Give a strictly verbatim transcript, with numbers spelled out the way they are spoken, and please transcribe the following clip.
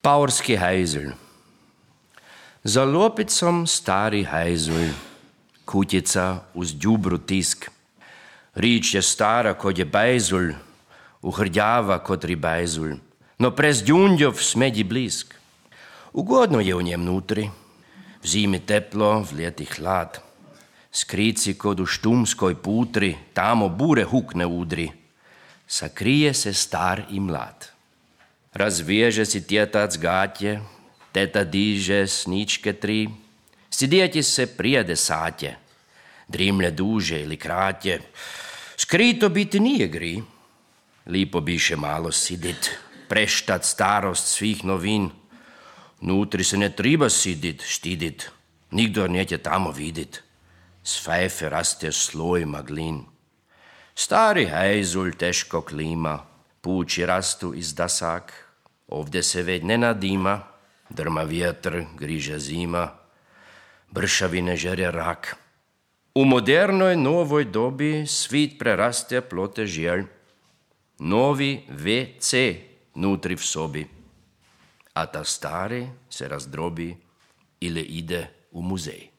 Paurski hajzel. Za lopicom stari hajzel, kutica uz djubru tisk. Rič je stara kod je bajzul, uhrdjava kod ribajzul, no prez djundjov smedji blisk. Ugodno je u njem nutri, v zimi teplo, v ljeti hlad. Skrici kod u štumskoj putri, tamo bure hukne udri. Sakrije se star i mlad. Razveže si tjetac gatje, teta diže sničke tri, sidjeti se prije desatje, drimlje duže ili kratje, skrito biti nije gri. Lipo biše malo sidit, preštat starost svih novin. Nutri se ne triba sidit, štidit, nigdo neće tamo vidit. S fejfe raste sloj maglin. Stari hajzul teško klima, pući rastu iz dasak, ovdje se već ne nadima, drma vjetr, griže zima, bršavine žere rak. U modernoj novoj dobi svit preraste plote žjelj, novi ve ce nutri v sobi, a ta stari se razdrobi ili ide u muzej.